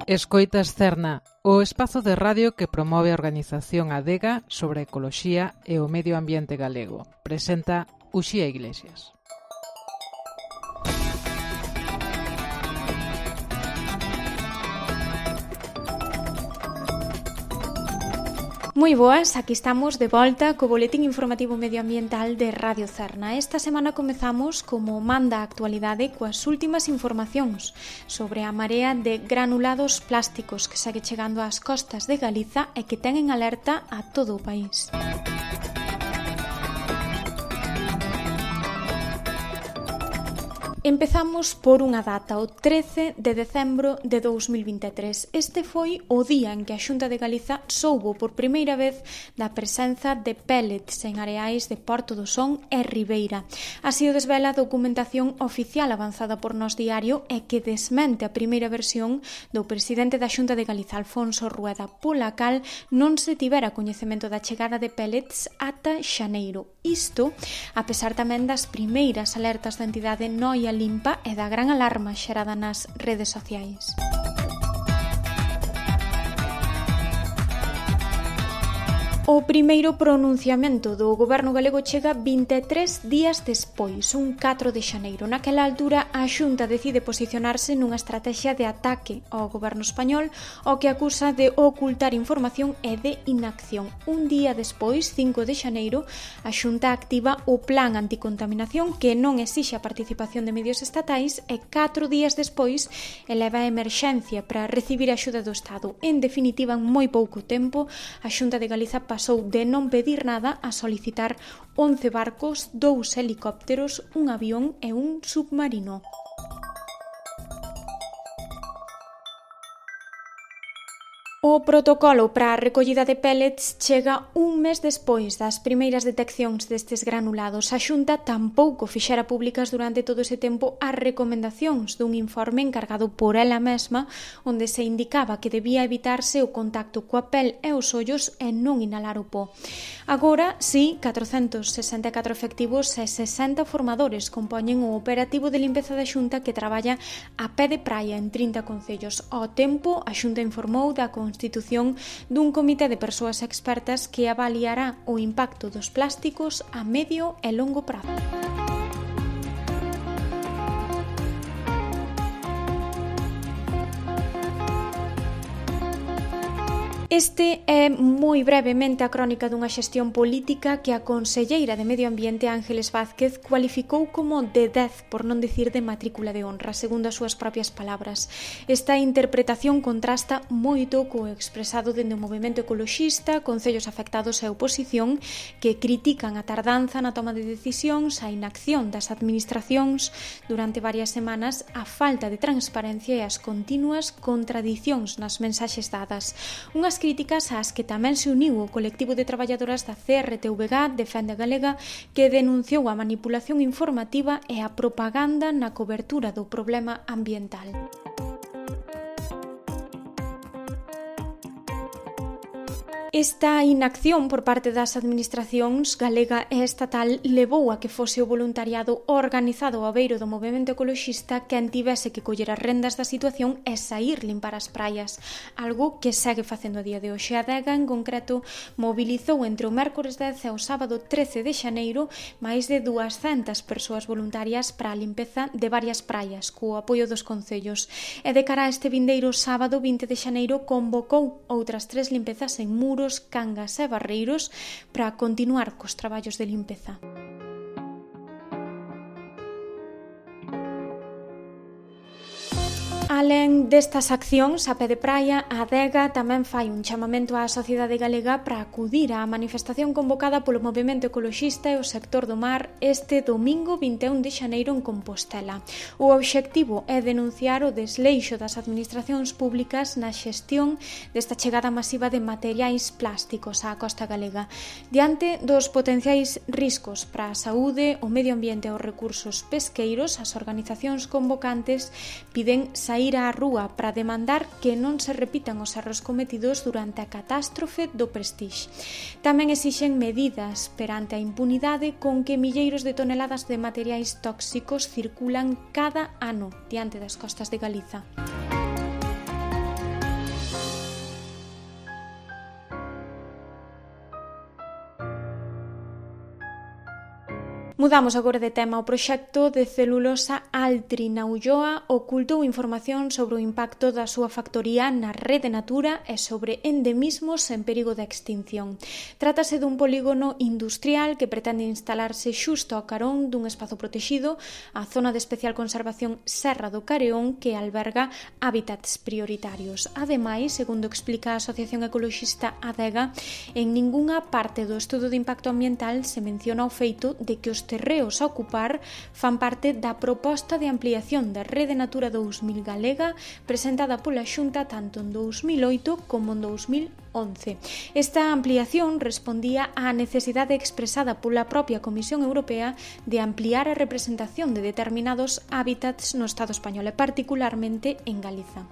Escoitas Cerna, o espazo de radio que promove a organización Adega sobre a ecoloxía e o medio ambiente galego. Presenta Uxía Iglesias. Moi boas, aquí estamos de volta co boletín informativo medioambiental de Radio Cerna. Esta semana comezamos, como manda a actualidade, coas últimas informacións sobre a marea de granulados plásticos que segue chegando ás costas de Galiza e que ten en alerta a todo o país. Empezamos por unha data, o 13 de decembro de 2023. Este foi o día en que a Xunta de Galiza soubo por primeira vez da presenza de pellets en areais de Porto do Son e Ribeira. Así o desvela a documentación oficial avanzada por Nós Diario e que desmente a primeira versión do presidente da Xunta de Galiza, Alfonso Rueda, pola cal non se tivera coñecemento da chegada de pellets ata xaneiro. Isto, a pesar tamén das primeiras alertas da entidade Noia Limpa e da gran alarma xerada nas redes sociais. O primeiro pronunciamento do goberno galego chega 23 días despois, un 4 de xaneiro. Naquela altura, a Xunta decide posicionarse nunha estrategia de ataque ao goberno español, o que acusa de ocultar información e de inacción. Un día despois, 5 de xaneiro, a Xunta activa o Plan Anticontaminación, que non exixe a participación de medios estatais, e 4 días despois eleva a emerxencia para recibir a axuda do Estado. En definitiva, en moi pouco tempo, a Xunta de Galiza pasou de non pedir nada a solicitar 11 barcos, 2 helicópteros, un avión e un submarino. O protocolo para a recollida de pellets chega un mes despois das primeiras deteccións destes granulados. A Xunta tampouco fixera públicas durante todo ese tempo as recomendacións dun informe encargado por ela mesma, onde se indicaba que debía evitarse o contacto coa pel e os ollos e non inhalar o po. Agora, sí, 464 efectivos e 60 formadores compoñen o operativo de limpeza da Xunta que traballa a pé de praia en 30 concellos. Ao tempo, a Xunta informou da constitución dun comité de persoas expertas que avaliará o impacto dos plásticos a medio e longo prazo. Este é moi brevemente a crónica dunha xestión política que a conselleira de Medio Ambiente Ángeles Vázquez cualificou como de 10, por non dicir de matrícula de honra, segundo as súas propias palabras. Esta interpretación contrasta moito co expresado dende o movemento ecoloxista, concellos afectados e oposición que critican a tardanza na toma de decisións, a inacción das administracións durante varias semanas, a falta de transparencia e as continuas contradicións nas mensaxes dadas. Unhas críticas ás que tamén se uniu o colectivo de traballadoras da CRTVG Defende Galega, que denunciou a manipulación informativa e a propaganda na cobertura do problema ambiental. Esta inacción por parte das administracións galega e estatal levou a que fose o voluntariado organizado ao beiro do movemento ecoloxista quen tivese que coller as rendas da situación e saír limpar as praias, algo que segue facendo a día de hoxe. A Adega, en concreto, mobilizou entre o mércores 10 e o sábado 13 de xaneiro máis de 200 persoas voluntarias para a limpeza de varias praias, co apoio dos concellos. E de cara a este vindeiro sábado 20 de xaneiro convocou outras 3 limpezas en Muros, Cangas e Barreiros para continuar cos traballos de limpeza. Alén destas accións a pé de praia, a Adega tamén fai un chamamento á sociedade galega para acudir á manifestación convocada polo movemento ecoloxista e o sector do mar este domingo 21 de xaneiro en Compostela. O obxectivo é denunciar o desleixo das administracións públicas na xestión desta chegada masiva de materiais plásticos á costa galega. Diante dos potenciais riscos para a saúde, o medio ambiente e os recursos pesqueiros, as organizacións convocantes piden sair á rúa para demandar que non se repitan os erros cometidos durante a catástrofe do Prestige. Tamén exixen medidas perante a impunidade con que milleiros de toneladas de materiais tóxicos circulan cada ano diante das costas de Galiza. Mudamos agora de tema. O proxecto de celulosa Altri na Ulloa ocultou información sobre o impacto da súa factoría na rede Natura e sobre endemismos en perigo de extinción. Trátase dun polígono industrial que pretende instalarse xusto ao carón dun espazo protexido, a zona de especial conservación Serra do Careón, que alberga hábitats prioritarios. Ademais, segundo explica a Asociación Ecoloxista Adega, en ningunha parte do estudo de impacto ambiental se menciona o feito de que os terreos a ocupar fan parte da proposta de ampliación da Rede Natura 2000 galega presentada pola Xunta tanto en 2008 como en 2011. Esta ampliación respondía á necesidade expresada pola propia Comisión Europea de ampliar a representación de determinados hábitats no Estado español e particularmente en Galiza.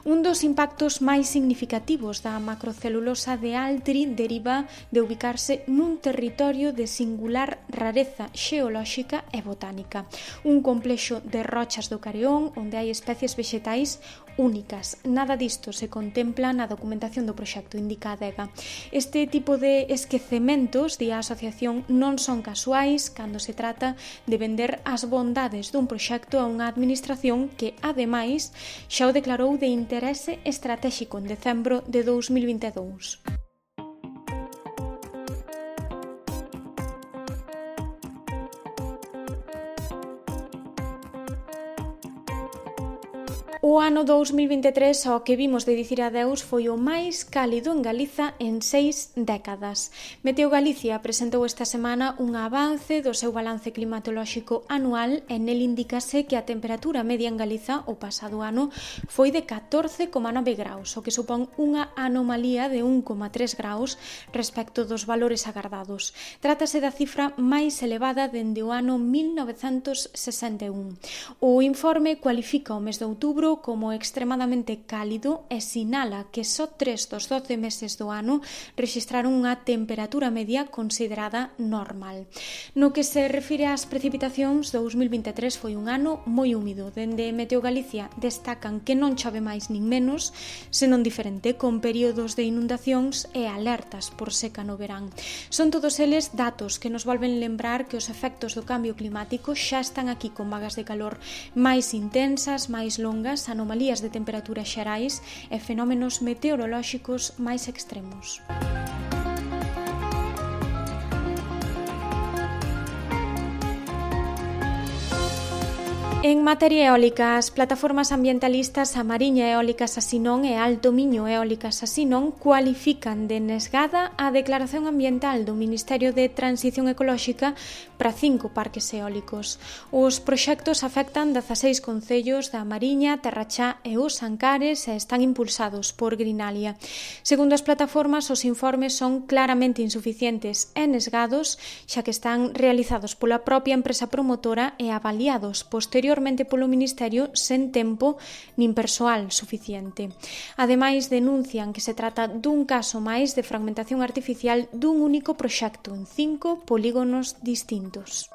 Un dos impactos máis significativos da macrocelulosa de Altri deriva de ubicarse nun territorio de singular rareza xeolóxica e botánica, un complexo de rochas do Careón onde hai especies vexetais únicas. Nada disto se contempla na documentación do proxecto, indica Adega. Este tipo de esquecementos, di a asociación, non son casuais cando se trata de vender as bondades dun proxecto a unha administración que, ademais, xa o declarou de interese estratéxico en decembro de 2022. O ano 2023, ao que vimos de dicir adeus, foi o máis cálido en Galiza en 6 décadas. Meteo Galicia presentou esta semana un avance do seu balance climatolóxico anual e nel indícase que a temperatura media en Galiza o pasado ano foi de 14,9 graus, o que supón unha anomalía de 1,3 graus respecto dos valores agardados. Trátase da cifra máis elevada dende o ano 1961. O informe cualifica o mes de outubro como extremadamente cálido e sinala que só 3 dos 12 meses do ano rexistraron unha temperatura media considerada normal. No que se refire ás precipitacións, 2023 foi un ano moi húmido. Dende Meteo Galicia destacan que non chove máis nin menos, senón diferente, con períodos de inundacións e alertas por seca no verán. Son todos eles datos que nos volven lembrar que os efectos do cambio climático xa están aquí con vagas de calor máis intensas, máis longas, anomalías de temperatura xerais e fenómenos meteorolóxicos máis extremos. En materia eólica, as plataformas ambientalistas A Mariña Eólica Sasinón e Alto Miño Eólica Sasinón cualifican de nesgada a declaración ambiental do Ministerio de Transición Ecolóxica para 5 parques eólicos. Os proxectos afectan 16 concellos da Mariña, Terrachá e Os Ancares e están impulsados por Greenalia. Segundo as plataformas, os informes son claramente insuficientes e nesgados, xa que están realizados pola propia empresa promotora e avaliados posteriormente polo Ministerio sen tempo nin persoal suficiente. Ademais, denuncian que se trata dun caso máis de fragmentación artificial dun único proxecto en 5 polígonos distintos.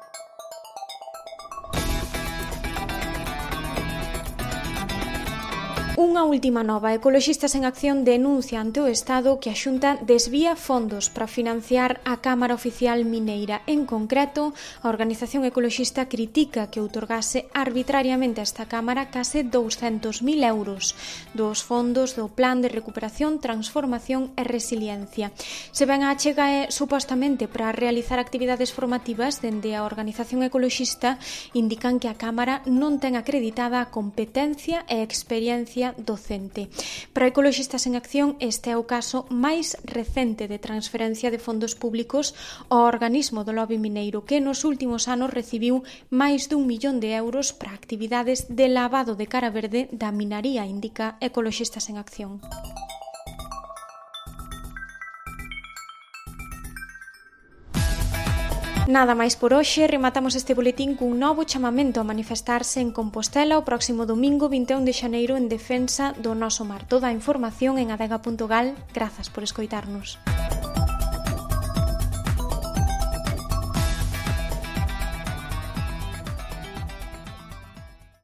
Unha última nova. Ecoloxistas en Acción denuncia ante o Estado que a Xunta desvía fondos para financiar a Cámara Oficial Mineira. En concreto, a organización ecoloxista critica que outorgase arbitrariamente a esta Cámara case 200.000 euros dos fondos do Plan de Recuperación, Transformación e Resiliencia. Se ben a achega é supostamente para realizar actividades formativas, dende a organización ecoloxista indican que a Cámara non ten acreditada a competencia e experiencia docente. Para Ecoloxistas en Acción, este é o caso máis recente de transferencia de fondos públicos ao organismo do lobby mineiro, que nos últimos anos recibiu máis d'1 millón de euros para actividades de lavado de cara verde da minaría, indica Ecoloxistas en Acción. Nada máis por hoxe, rematamos este boletín cun novo chamamento a manifestarse en Compostela o próximo domingo 21 de xaneiro en defensa do noso mar. Toda a información en adega.gal. Grazas por escoitarnos.